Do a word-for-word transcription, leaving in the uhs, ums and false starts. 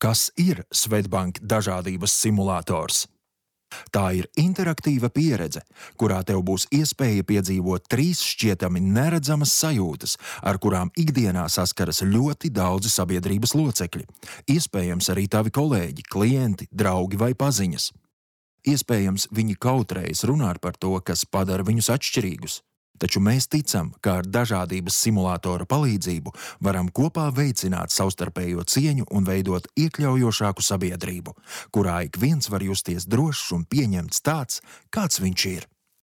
Kas ir Swedbank dažādības simulators? Tā ir interaktīva pieredze, kurā tev būs iespēja piedzīvot trīs šķietami neredzamas sajūtas, ar kurām ikdienā saskaras ļoti daudzi sabiedrības locekļi. Iespējams arī tavi kolēģi, klienti, draugi vai paziņas. Iespējams, viņi kautrējas runāt par to, kas padara viņus atšķirīgus. Taču mēs ticam, ka ar dažādības simulātora palīdzību varam kopā veicināt savstarpējo cieņu un veidot iekļaujošāku sabiedrību, kurā ik viens var justies drošs un pieņemts tāds, kāds viņš ir.